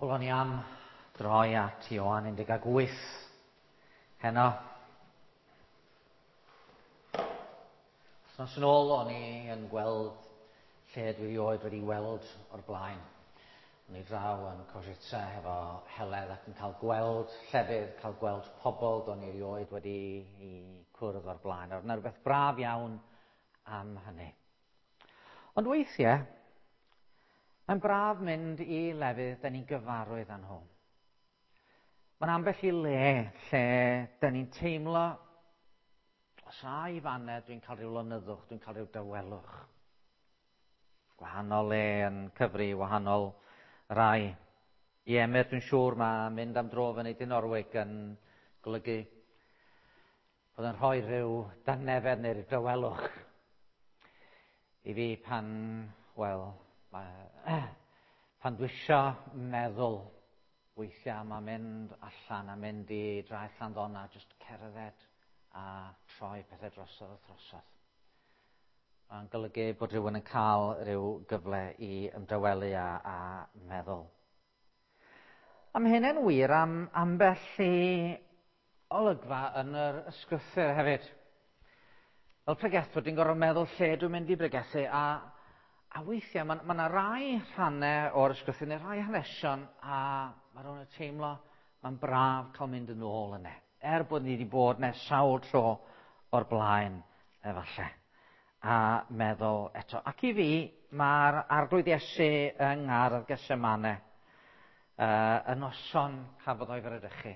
Wel, o'n i am droi at Ioan 18 heno. Wythnos yn ôl, o'n i yn gweld lle dwi erioed wedi weld o'r blaen. O'n i draw yn Košice hefo Heledd ac yn cael gweld llefydd, cael gweld pobl do'n i erioed wedi i cwrdd o'r blaen. Oedd yna rhywbeth braf iawn am hynny. Ond weithiau, mae'n braf mynd i lefydd da ni'n gyfarwydd â nhw. Mae'n ambell i le lle da ni'n teimlo, os a i fanne, dwi'n cael rhyw lonyddwch, dwi'n cael rhyw dawelwch. Gwahanol le yn cyfri, wahanol rai. I Emyr, dwi'n siŵr mae mynd am dro fyny Dinorwig yn golygu bod yn rhoi rhyw dangnefedd neu rhyw dawelwch i fi pan, wel, pan dwi isio meddwl weithiau mae mynd allan a mynd i draeth Llanddona, jyst cerdded a troi pethau drosodd a throsodd. Mae'n golygu bod rhywun yn cael rhyw gyfle i ymdawelu a, a meddwl. A mae hynny'n wir am ambell i olygfa yn yr ysgrythur hefyd. Fel pregethwr, dwi'n gorfod meddwl lle dwi'n mynd i bregethu, a, a weithiau mae yna ma rai rhannau o'r ysgrythur, neu rai hanesion, a mae rhywun yn teimlo mae'n braf cael mynd yn ôl yna. Er bod ni wedi bod nes sawl tro o'r blaen, efallai a meddwl eto. Ac i fi, mae'r Arglwydd Iesu yng Ngardd Gethsemane, uh, y noson cafodd o'i fradychu,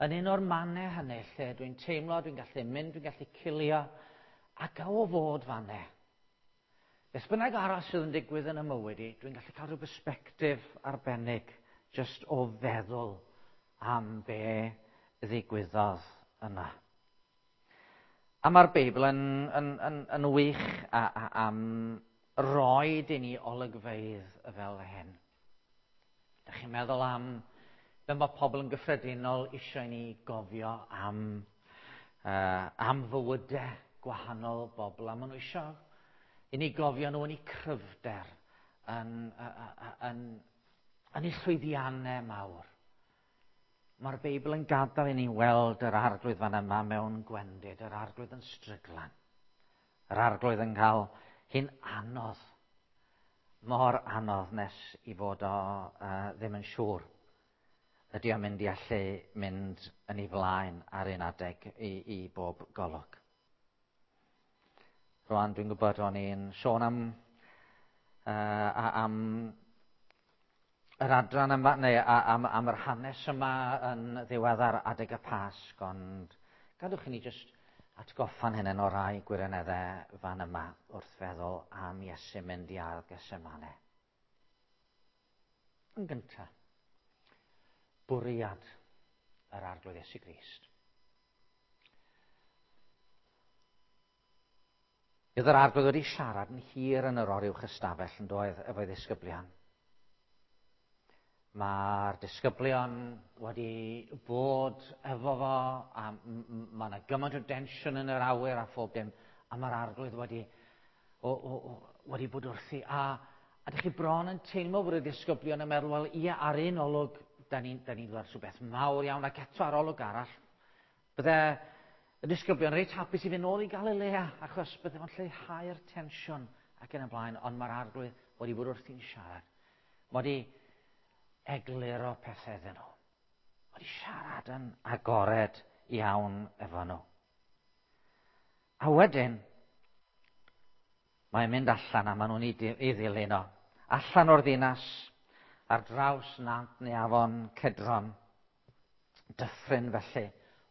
yn un o'r mannau hynny lle dwi'n teimlo, dwi'n gallu mynd, dwi'n gallu cilio, ac o fod fanne. Beth bynnag arall sydd yn digwydd yn y mywyd i, dwi'n gallu cael rhyw bersbectif arbennig jyst o feddwl am be ddigwyddodd yna. A mae'r Beibl yn, yn, yn, yn wych a, a, am roed i ni olygfeydd fel hyn. Dych chi'n meddwl am be mae pobl yn gyffredinol eisiau ni gofio am, uh, am fywydau gwahanol bobl, a maen nhw eisiau i ni gofio nhw yn eu cryfder, yn, yn, yn, yn eu llwyddiannau mawr. Mae'r Beibl yn gadael i ni weld yr arglwydd fan yma mewn gwendid, yr arglwydd yn stryglan. Yr arglwydd yn cael hi'n anodd, mor anodd nes i fod o uh, ddim yn siŵr ydy o'n mynd i allu mynd yn ei flaen ar un adeg i, i bob golwg. Rwan dwi'n gwybod o'n i'n sôn am, uh, am yr adran yma, neu am, am yr hanes yma yn ddiweddar adeg y Pasg, ond gadwch i ni jyst atgoffa'n hynny o rai gwirioneddau fan yma wrth feddwl am Iesu mynd i ardd Gethsemane. Yn gyntaf, bwriad yr Arglwydd Iesu Grist. Oedd yr arglwydd wedi siarad yn hir yn yr oruwch ystafell yn doedd efo'i ddisgyblion. Mae'r disgyblion wedi bod efo fo, a mae yna gymaint o densiwn yn yr awyr a phob dim, a mae'r arglwydd wedi, o, o, o, wedi bod wrthi. A, a dych chi bron yn teimlo bod y disgyblion yn meddwl, wel, ie, ar un olwg, da ni'n ni, ni dod rhywbeth mawr iawn, ac eto ar olwg arall, Bydde y disgyblion reit hapus i fynd nôl i Galilea, achos bydde fo'n lleihau'r tensiwn ac yn y blaen, ond mae'r arglwydd wedi bod wrthi'n siarad. Mae wedi egluro pethau iddyn nhw. Mae wedi siarad yn agored iawn efo nhw. A wedyn, mae'n mynd allan a maen nhw'n ei ddilyn o. Allan o'r ddinas, ar draws nant neu afon Cedron, Dyffryn felly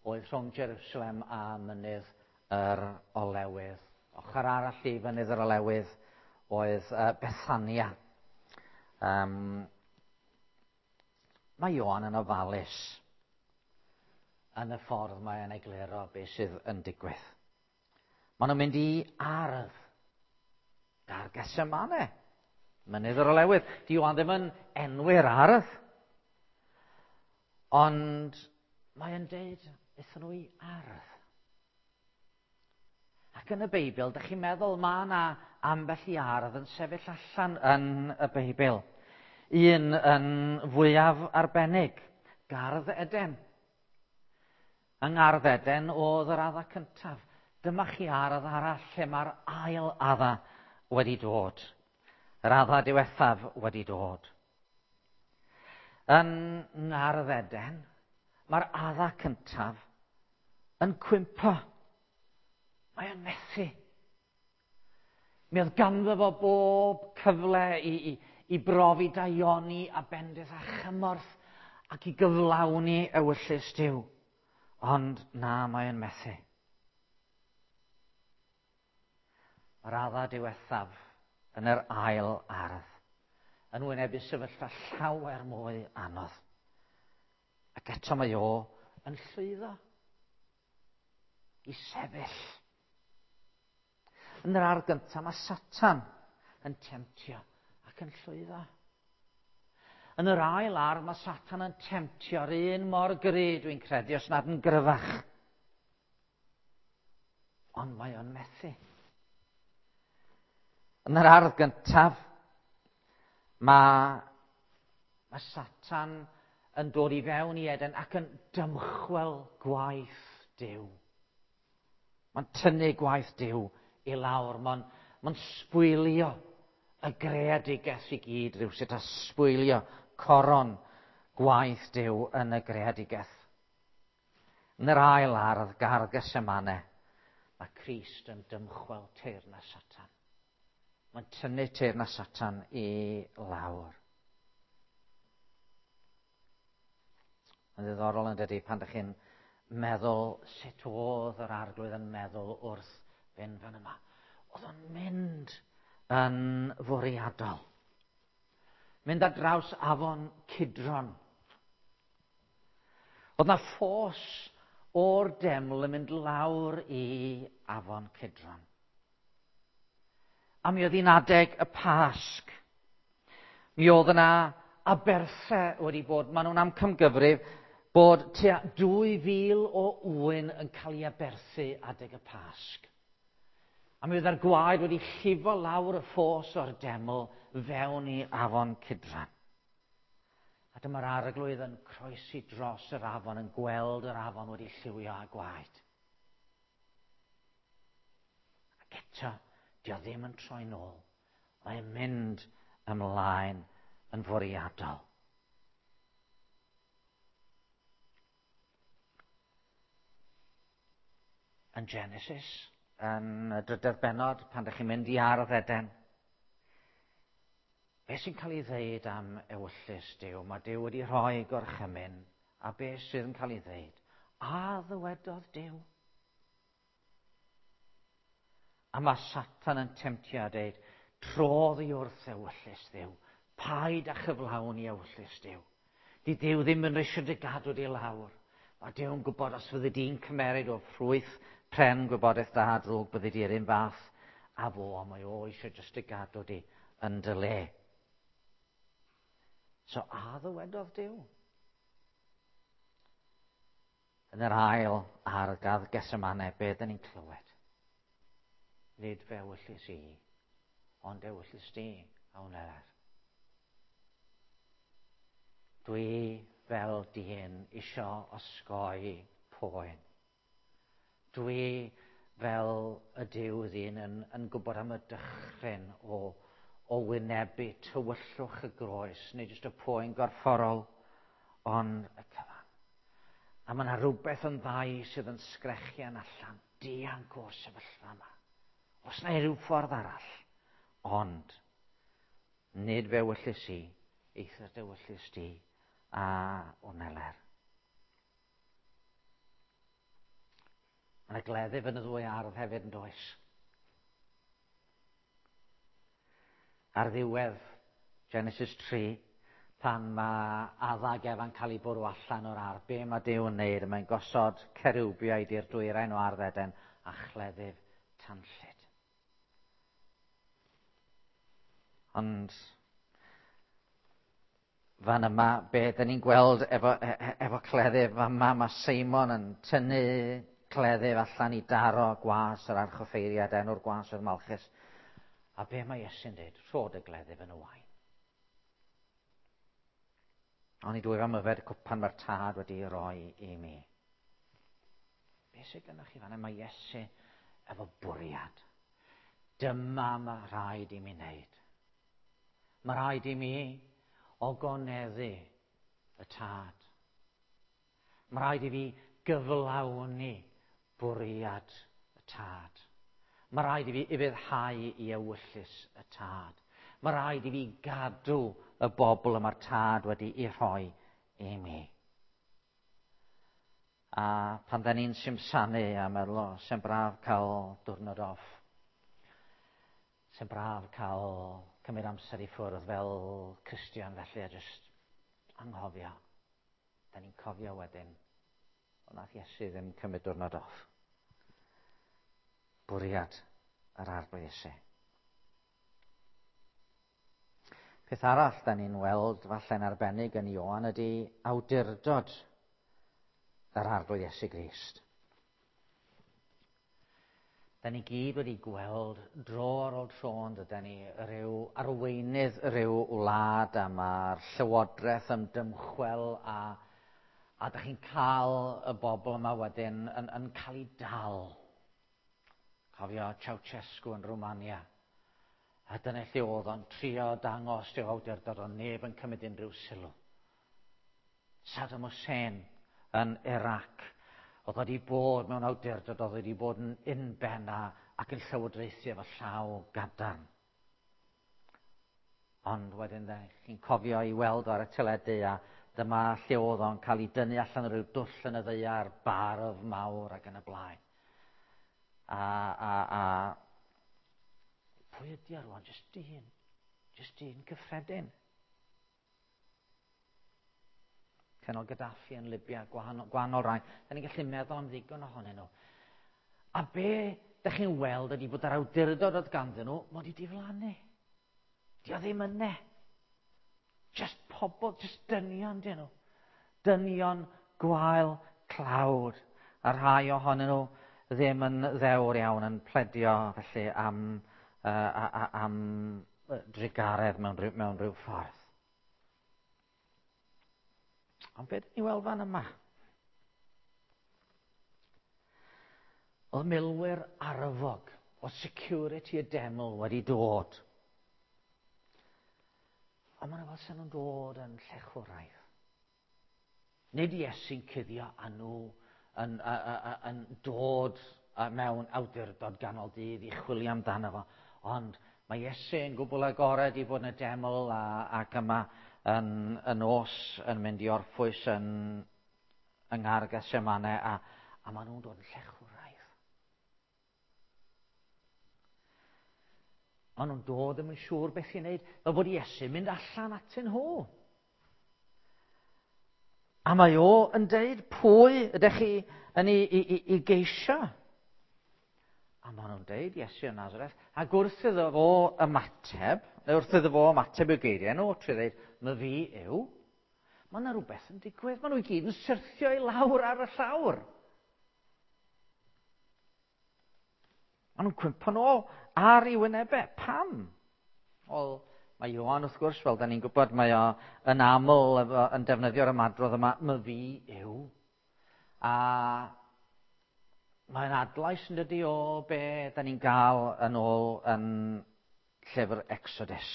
oedd rhwng Jerusalem a mynydd yr Olewydd. Ochr arall i fynydd yr Olewydd oedd uh, Bethania. Um, mae Ioan yn ofalus yn y ffordd mae'n egluro beth sydd yn digwydd. Maen nhw'n mynd i ardd. Gar Gethsemane. Mynydd yr Olewydd. Di Ioan ddim yn enwi'r ardd. Ond mae'n deud, aethon nhw i ardd. Ac yn y Beibl, dych chi'n meddwl mae yna ambell i ardd yn sefyll allan yn y Beibl. Un yn fwyaf arbennig, Gardd Eden. Yng Ngardd Eden oedd yr adda cyntaf. Dyma chi ardd arall lle mae'r ail adda wedi dod. Yr adda diwethaf wedi dod. Yn Ngardd Eden, mae'r adda cyntaf yn cwympo. Mae o'n methu. Mi oedd ganddo fo bob cyfle i brofi daioni a bendith a chymorth ac i gyflawni ewyllys Duw. Ond na, mae o'n methu. Mae'r adda diwethaf yn yr ail ardd yn wynebu sefyllfa llawer mwy anodd. Ac eto mae o yn llwyddo i sefyll. Yn yr ardd gyntaf mae Satan yn temtio ac yn llwyddo. Yn yr ail ardd mae Satan yn temtio'r un mor gry, dwi'n credu, os nad yn gryfach. Ond mae o'n methu. Yn yr ardd gyntaf, mae Satan yn dod i fewn i Eden ac yn dymchwel gwaith Duw. Mae'n tynnu gwaith Duw i lawr. Mae'n sbwylio y greadigaeth i gyd rhywsut, a sbwylio coron gwaith Duw yn y greadigaeth. Yn yr ail ardd, gardd Gethsemane, mae Crist yn dymchwel teyrnas Satan. Mae'n tynnu teyrnas Satan i lawr. Mae'n ddiddorol yn dydy pan ydych chi'n meddwl sut oedd yr arglwydd yn meddwl wrth fynd fan yma. Oedd o'n mynd yn fwriadol. Mynd ar draws afon Cidron. Oedd na ffos o'r deml yn mynd lawr i afon Cidron. A mi oedd hi'n adeg y Pasg. Mi oedd yna aberthau wedi bod. Maen nhw'n amcamgyfrif bod tua 2,000 o ŵyn yn cael ei aberthu adeg y Pasg. A mi oedd yr gwaed wedi llifo lawr y ffos o'r deml fewn i afon Cidron. A dyma'r arglwydd yn croesi dros yr afon, yn gweld yr afon wedi lliwio â gwaed. Ac eto, dio ddim yn troi nôl. Mae'n mynd ymlaen yn fwriadol. Yn Genesis, yn y drydedd bennod, pan ydych chi'n mynd i ardd Eden, beth sy'n cael ei ddeud am ewyllys Duw? Mae Duw wedi rhoi gorchymyn, a beth sydd yn cael ei ddeud? A ddywedodd Duw? A mae Satan yn temtio a deud, trodd i wrth ewyllys Dduw, paid â chyflawn i ewyllys Duw. Di Duw ddim yn eisiau dy gadw di lawr. Mae Duw yn gwybod os fyddi di'n cymeryd o ffrwyth pren gwybodaeth da a drwg, byddi di'r un fath a fo, a mae o eisiau jyst dy gadw di yn dy le. So, a ddywedodd Duw? Yn yr ail ardd Gethsemane, be dyn ni'n clywed? Nid fe ewyllys i, ond ewyllys di a wneler. Dwi fel dyn isio osgoi poen. Dwi fel y Duw ddyn yn gwybod am y dychryn o wynebu tywyllwch y groes, neu jyst y poen gorfforol, ond y cyfan. A mae yna rhywbeth yn ddau sydd yn sgrechian allan, dianc o'r sefyllfa yma. Os na rhyw ffordd arall, ond nid fe ewyllys i, eithr dy ewyllys di a wneler. Mae yna gleddyf yn y ddwy ardd hefyd yn does. Ar ddiwedd Genesis 3, pan mae Adda ac Efa'n cael ei bwrw allan o'r ardd, be mae Duw yn neud? Mae'n gosod cerubiaid i'r dwyrain o ardd Eden a chleddyf tanllyd. Ond fan yma, be dyn ni'n gweld efo cleddyf, fan yma mae Seimon yn tynnu cleddyf allan i daro gwas yr archoffeiriad, enw'r gwas oedd Malchus. A be mae Iesu'n dweud? Rhod y gleddyf yn y wain. Ond dwyf am yfed y cwpan mae'r Tad wedi ei roi i mi. Be sydd gennych chi fanna? Mae Iesu efo bwriad. Dyma mae rhaid i mi wneud. Mae rhaid i mi ogoneddu y Tad. Mae rhaid i fi gyflawni bwriad y Tad. Mae rhaid i fi ufuddhau i ewyllys y Tad. Mae rhaid i fi gadw y bobl y mae'r Tad wedi ei rhoi i mi. A pan da ni'n simsanu a meddwl, o, sy'n braf cael diwrnod off. Sy'n braf cael cymryd amser i ffwrdd fel Cristion felly a jyst anghofio. Da ni'n cofio wedyn, o nath Iesu ddim cymryd diwrnod off. Bwriad yr Arglwydd Iesu. Peth arall da ni'n weld falle'n arbennig yn Ioan ydy awdurdod yr Arglwydd Iesu Grist. Da ni gyd wedi gweld dro ar ôl tro yn dydan ni rhyw arweinydd rhyw wlad a mae'r llywodraeth yn dymchwel a da chi'n cael y bobl yma wedyn yn cael ei dal. Cofio Ceausescu yn Romania. A dyna lle oedd o'n trio dangos rhyw awdurdod, ond neb yn cymryd unrhyw sylw. Saddam Hussein yn Iraq. Oedd wedi bod mewn awdurdod, oedd wedi bod yn unben ac yn llywodraethu efo llaw gadarn. Ond wedyn chi'n cofio i weld ar y teledu a dyma lle oedd o'n cael ei dynnu allan o ryw dwll yn y ddaear, barf mawr ac yn y blaen. A pwy ydi o rwan? Jyst dyn. Jyst dyn cyffredin. Colonel Gaddafi yn Libya, gwahanol rai. Da ni'n gallu meddwl am ddigon ohonyn nhw. A be da chi'n weld ydy bod yr awdurdod oedd ganddyn nhw, mod i diflannu. Di o ddim yne. Just pobl, just dynion dyn nhw. Dynion gwael tlawd. A rhai ohonyn nhw ddim yn ddewr iawn yn pledio felly am drugaredd mewn rhyw ffordd. Ond beth ni weld fan yma? Oedd milwyr arfog o security y deml wedi dod. Ond maen nhw fel sy'n nhw'n dod yn llechwraidd. Nid Iesu'n cuddio a nhw yn dod mewn awdurdod ganol dydd i chwilio amdano fo. Ond mae Iesu'n gwbl agored i fod yn y deml ac yma yn y nos yn mynd i orffwys yng Nghardd Gethsemane a maen nhw'n dod yn llechwraidd. Maen nhw'n dod ddim yn siŵr beth i wneud, fel bod Iesu'n mynd allan atyn nhw. A mae o yn deud, pwy ydych chi yn ei geisio? A maen nhw'n deud, Iesu o Nazareth, ac wrth iddo fo ymateb, neu wrth iddo fo ymateb i'w geiriau nhw, trwy ddeud, my fi yw, mae yna rhywbeth yn digwydd, maen nhw i gyd yn syrthio i lawr ar y llawr. Maen nhw'n cwympo nôl ar ei wynebau. Pam? Wel, mae Ioan, wrth gwrs, fel da ni'n gwybod, mae o yn aml yn defnyddio'r ymadrodd yma, my fi yw. A mae'n adlais yn dydi o be da ni'n gael yn ôl yn llyfr Exodus,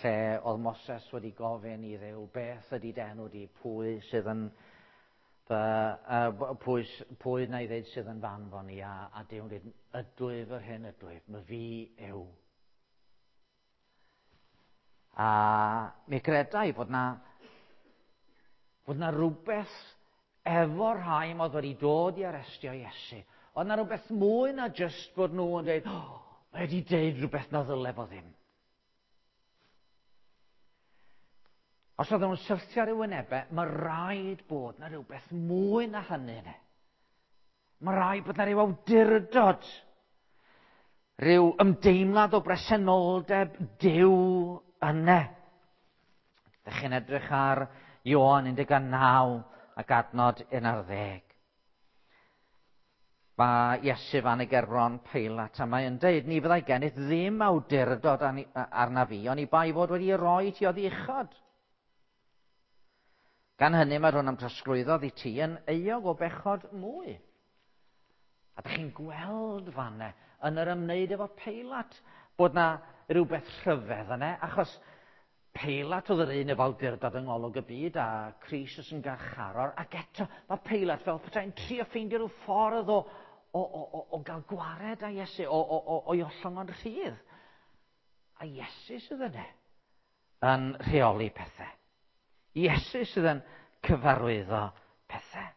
lle oedd Moses wedi gofyn i Dduw, beth ydy d'enw di, pwy sydd yn fy, pwy, pwy na i ddeud sydd yn f'anfon i, a Duw'n dweud, ydwyf yr hyn ydwyf, my fi yw. A mi gredai fod na rhywbeth efo rhai oedd wedi dod i arestio Iesu. Oedd na rhywbeth mwy na jyst bod nhw yn dweud, oh, mae wedi deud rhywbeth na ddyle fo ddim. Os oedden nhw'n syrthio ar ei wynebau, mae rhaid bod na rhywbeth mwy na hynny yna. Mae rhaid bod na rhyw awdurdod, rhyw ymdeimlad o bresenoldeb Duw yna. Dych chi'n edrych ar Ioan 19 ac adnod 11. Mae Iesu fan y gerbron Peilat a mae yn deud, ni fyddai gennyt ddim awdurdod arna fi, oni bai fod wedi roi ti oddi uchod. Gan hynny mae rhywun am trosglwyddo i ti yn euog o bechod mwy. A dych chi'n gweld fanne yn yr ymwneud efo Peilat bod na rhywbeth rhyfedd yna, achos Peilat oedd yr un efo awdurdod yng ngolwg y byd a Crist yn garcharor, ac eto mae Peilat fel petai'n trio ffeindio rhyw ffordd o gael gwared â Iesu, o'i ollwng o'n rhydd. A Iesu sydd yna yn rheoli pethau. Iesu sydd yn cyfarwyddo pethau.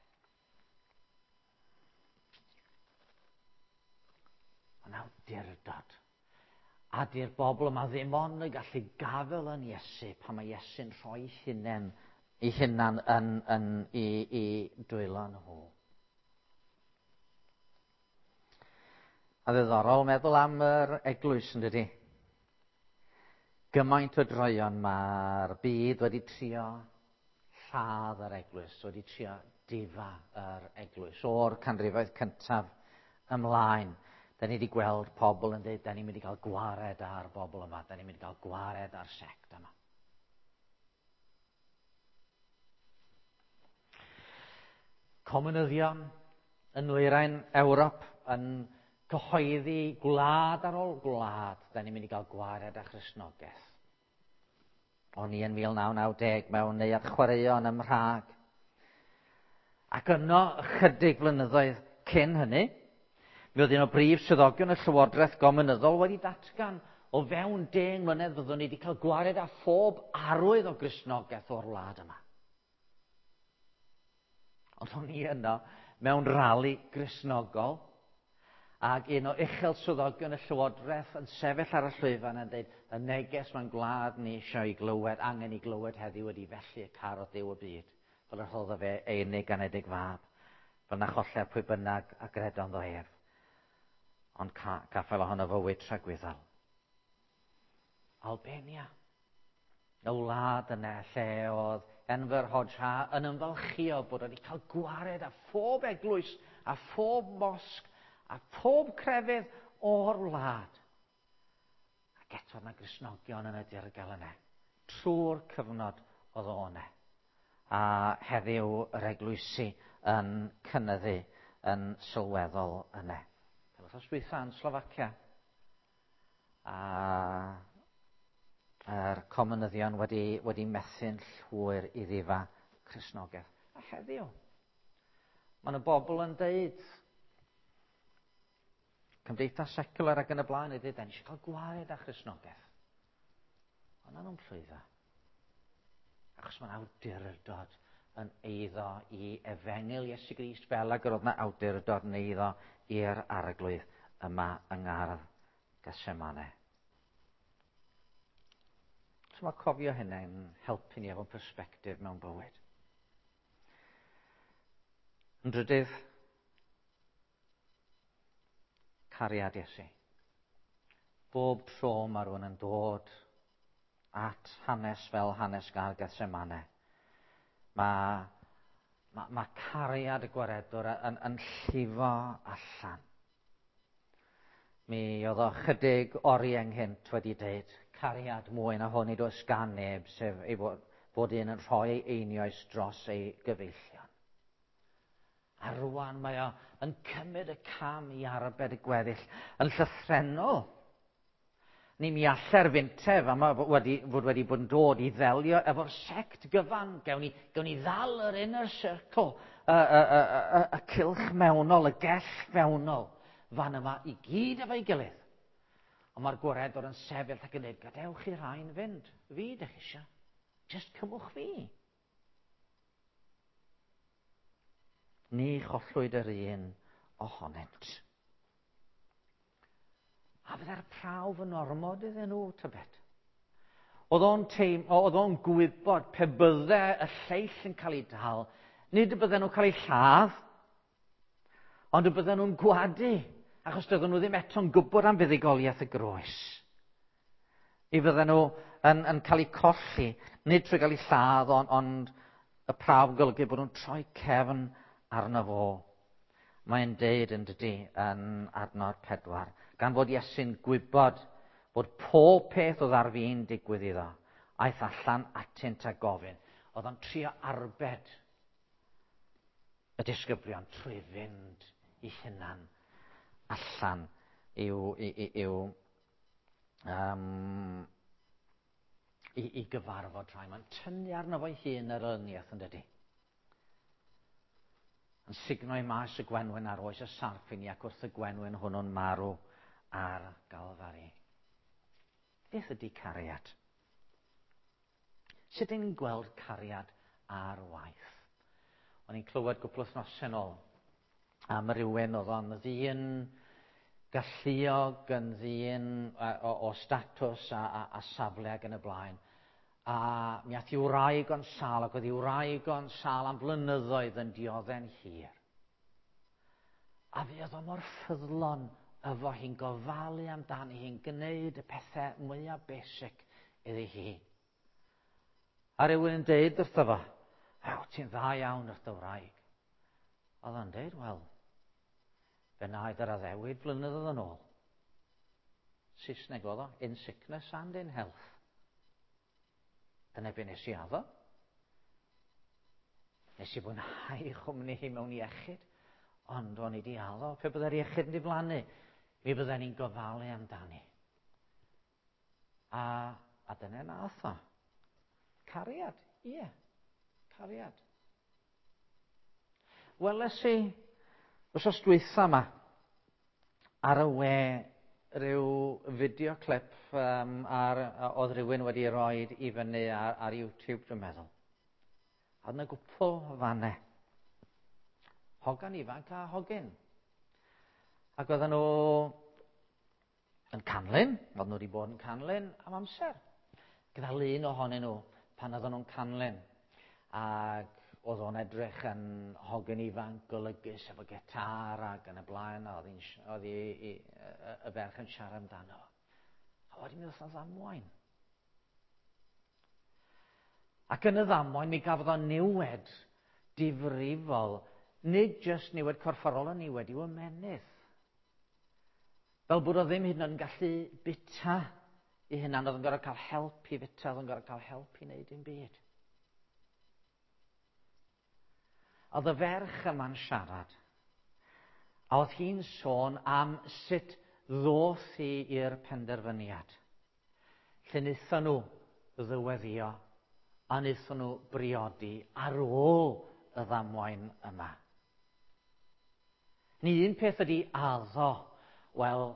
Mae'n awdurdod. A di'r bobl yma ddim ond yn gallu gafael yn Iesu pan mae Iesu'n rhoi ei hunan yn i dwylo nhw. A ddiddorol meddwl am yr eglwys, yn dydi? Gymaint o droeon mae'r byd wedi trio lladd yr eglwys, wedi trio difa yr eglwys o'r canrifoedd cyntaf ymlaen. Da ni wedi gweld pobl yn dweud, da ni'n mynd i gael gwared ar bobl yma, da ni'n mynd i gael gwared ar sect yma. Comunyddion yn nwyrain Ewrop yn cyhoeddi gwlad ar ôl gwlad, da ni'n mynd i gael gwared â Christnogaeth. O'n i yn 1990 mewn neuadd chwaraeon ym Mhrag. Ac yno, ychydig flynyddoedd cyn hynny, mi oedd un o brif swyddogion y Llywodraeth Gominyddol wedi datgan o fewn 10 mlynedd fyddwn ni wedi cael gwared â phob arwydd o Gristnogaeth o'r wlad yma. Ond o'n i yno mewn rali Gristnogol, ac un o uchel swyddogion y Llywodraeth yn sefyll ar y llwyfan yn dweud, y neges mae'n gwlad ni eisiau ei glywed, angen ei glywed heddiw ydy felly y carodd Duw y byd, fel yr rhoddodd fe ei unig anedig fab, fel na choller pwy bynnag a gredodd ynddo ef, ond caffael ohono fywyd tragwyddol. Albania, y wlad yna lle oedd Enver Hoxha yn ymfalchio bod wedi cael gwared â phob eglwys a phob mosg a phob crefydd o'r wlad. Ac eto yna Gristnogion yn y dirgel yna, trwy'r cyfnod oedd o yna. A heddiw yr eglwysi yn cynyddu yn sylweddol yna. Fel wythnos dwytha yn Slofacia, a yr comunyddion wedi methu'n llwyr i ddifa Cristnogaeth. A heddiw, mae yna bobl yn deud, cymdeithas secular ac yn y blaen, ydy, da ni eisiau cael gwared â Christnogaeth. Ond maen nhw'n llwyddo. Achos mae'n awdurdod yn eiddo i efengyl Iesu Grist fel ag yr oedd yna awdurdod yn eiddo i'r arglwydd yma yng Ngardd Gethsemane. So mae cofio hynny'n helpu ni efo'n persbectif mewn bywyd. Yn drydydd, cariad Iesu. Bob tro mae rhywun yn dod at hanes fel hanes Gardd Gethsemane, mae cariad y gwaredwr yn llifo allan. Mi oedd o chydig oriau ynghynt wedi dweud, cariad mwy na hwn nid oes gan neb, sef ei fod un yn rhoi ei einioes dros ei gyfeillion. A rwan mae o yn cymryd y cam i arbed y gweddill yn llythrennol. Ni mi alla'r fintef yma fod wedi bod yn dod i ddelio efo'r sect gyfan. Gewn ni ddal yr inner circle, y cylch mewnol, y gell fewnol, fan yma i gyd efo'i gilydd. Ond mae'r gwaredwr yn sefyll ac yn dweud, gadewch i rhain fynd. Fi dych chi eisiau. Just cymwch fi. Ni chollwyd yr un ohonynt. A fydde'r prawf yn ormod iddyn nhw, tybed? Oedd o'n gwybod pe bydde y lleill yn cael ei dal, nid y bydden nhw'n cael ei lladd, ond y bydden nhw'n gwadu, achos doedden nhw ddim eto'n gwybod am fuddugoliaeth y groes. Mi fydden nhw yn cael eu colli, nid trwy gael eu lladd, ond y prawf yn golygu bod nhw'n troi cefn arno fo. Mae'n deud yn dydy yn adnod 4, gan fod Iesu'n gwybod bod pob peth oedd ar fin digwydd iddo, aeth allan atynt a gofyn. Oedd o'n trio arbed y disgyblion trwy fynd i hunan allan i'w, i, i, i'w um, i, i gyfarfod rhai. Mae'n tynnu arno fo'i hun yr elyniaeth yn dydy. Yn sugno i maes y gwenwyn ar oes y sarff i ni ac wrth y gwenwyn hwnnw'n marw ar Galfari. Beth ydy cariad? Sut ydyn ni'n gweld cariad ar waith? O'n i'n clywed gwpl wythnosau yn ôl am rywun oedd o'n ddyn galluog, yn ddyn o, o statws a, a, a safle ac yn y blaen. A mi ath i wraig o'n sal, ac oedd i wraig o'n sal am flynyddoedd yn diodde'n hir. A fi oedd o mor ffyddlon efo hi'n gofalu amdani hi'n gwneud y pethau mwyaf basic iddi hi. A rhywun yn deud wrtho fo, Ew, ti'n dda iawn wrth dy wraig. Oedd o'n deud, wel, fe wnaed yr addewid blynyddoedd yn ôl. Saesneg oedd o, in sickness and in health. Dyna be nes i addo. Nes i fwynhau chwmni hi mewn iechyd, ond o'n i di addo, pe byddai'r iechyd yn diflannu, mi bydden ni'n gofalu amdani. A, a dyna nath o. Cariad, ie, yeah, cariad. Weles i, wrth dwytha yma, ar y we rhyw fideo clip um, ar, oedd rhywun wedi rhoi i fyny ar, ar YouTube, dwi'n meddwl. A oedd yna gwpl o fannau. Hogan ifanc a hogyn. Ac oedden nhw yn canlyn, oedden nhw wedi bod yn canlyn am amser. Gyda lun ohonyn nhw pan oedden nhw'n canlyn. Ac oedd o'n edrych yn hogyn ifanc golygus efo gitar ac yn y blaen, a oedd, oedd i, i, y, y ferch yn siarad amdano. A wedyn mi oedd o'n ddamwain. Ac yn y ddamwain mi gafodd o niwed difrifol, nid jyst niwed corfforol, ond niwed i'w ymennydd. Fel bod o ddim hyd yn oed yn gallu bita i hunan, oedd yn gorfod cael help i fita, oedd yn gorfod cael help i wneud dim byd. Oedd y ferch yma'n siarad, a oedd hi'n sôn am sut ddoth hi i'r penderfyniad. Lle wnaethon nhw ddyweddio a wnaethon nhw briodi ar ôl y ddamwain yma. Ni un peth ydy addo, wel,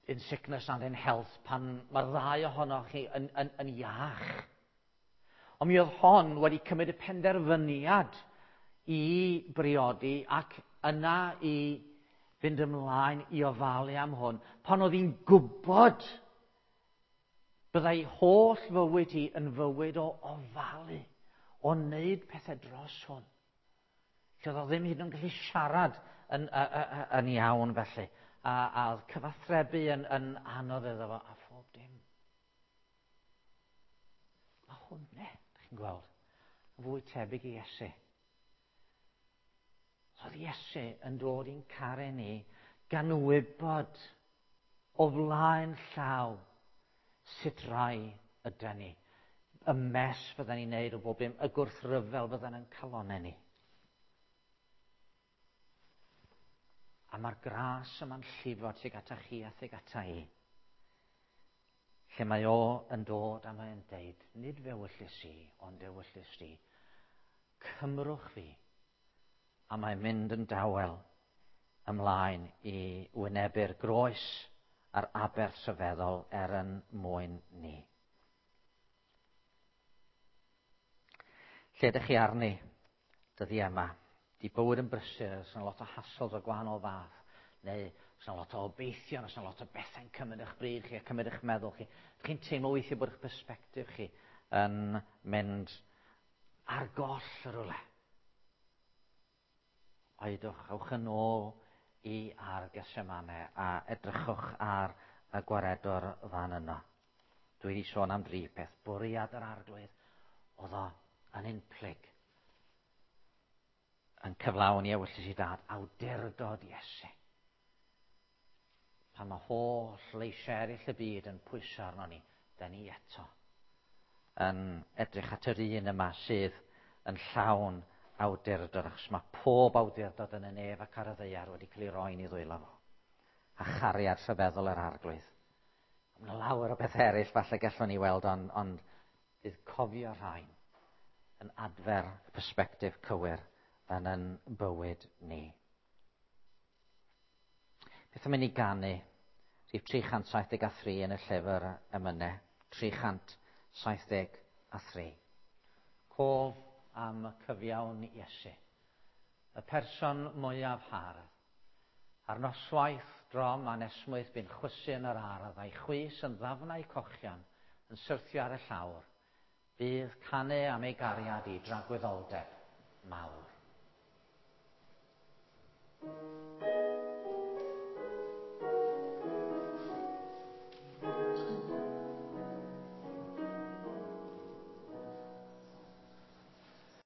in sickness and in health, pan mae'r ddau ohonoch chi yn, yn, yn iach. Ond mi oedd hon wedi cymryd y penderfyniad i briodi ac yna i fynd ymlaen i ofalu am hwn, pan oedd hi'n gwybod byddai holl fywyd hi yn fywyd o ofalu, o wneud pethau dros hwn. Lle oedd o ddim hyd yn oed yn gallu siarad yn, yn iawn felly. A, a oedd cyfathrebu yn, yn anodd iddo fo a phob dim. Mae hwnna, ydych chi'n gweld, yn fwy tebyg i Iesu. Oedd Iesu yn dod i'n caru ni gan wybod o flaen llaw sut rai ydy ni. Y mes fydden ni'n neud o bob dim, y gwrthryfel fydden yn calonau ni. A mae'r gras yma'n llifo tuag ata chi a tuag ata i. Lle mae o yn dod a mae'n deud, nid fe wyllys i, ond ewyllys di. Cymrwch fi. A mae'n mynd yn dawel ymlaen i wynebu'r groes a'r aberth rhyfeddol er yn mwyn ni. Lle ydych chi arni dyddiau yma? Di bywyd yn brysur, oes yna lot o hassles o gwahanol fath, neu oes yna lot o obeithion, oes yna lot o bethau'n cymryd eich bryd chi a cymryd eich meddwl chi. Ydych chi'n teimlo weithiau bod eich perspectif chi yn mynd ar goll y rhywle. Oedwch, awch yn ôl i ar Gethsemane a edrychwch ar y gwaredwr fan yno. Dwi wedi sôn am dri peth. Bwriad yr arglwydd oedd o yn unplyg yn cyflawni ewyllys i dad, awdurdod Iesu. Pan mae holl leisiau eraill y byd yn pwyso arno ni, da ni eto yn edrych at yr un yma sydd yn llawn awdurdod, achos mae pob awdurdod yn y nef ac ar y ddaear wedi cael ei roi'n ei ddwylo fo. A chariad rhyfeddol yr Arglwydd. Mae yna lawer o bethau eraill falle gallwn ni weld, ond bydd cofio rhain yn adfer y persbectif cywir yn yn bywyd ni. Beth am i ni ganu rhif 373 yn y llyfr emynau? 373. Cof am y cyfiawn Iesu. Y person mwyaf hardd. Ar noswaith drom anesmwyth bu'n chwysu yn yr ardd, a'i chwys yn ddafnau cochion yn syrthio ar y llawr. Bydd canu am ei gariad i dragwyddoldeb mawr.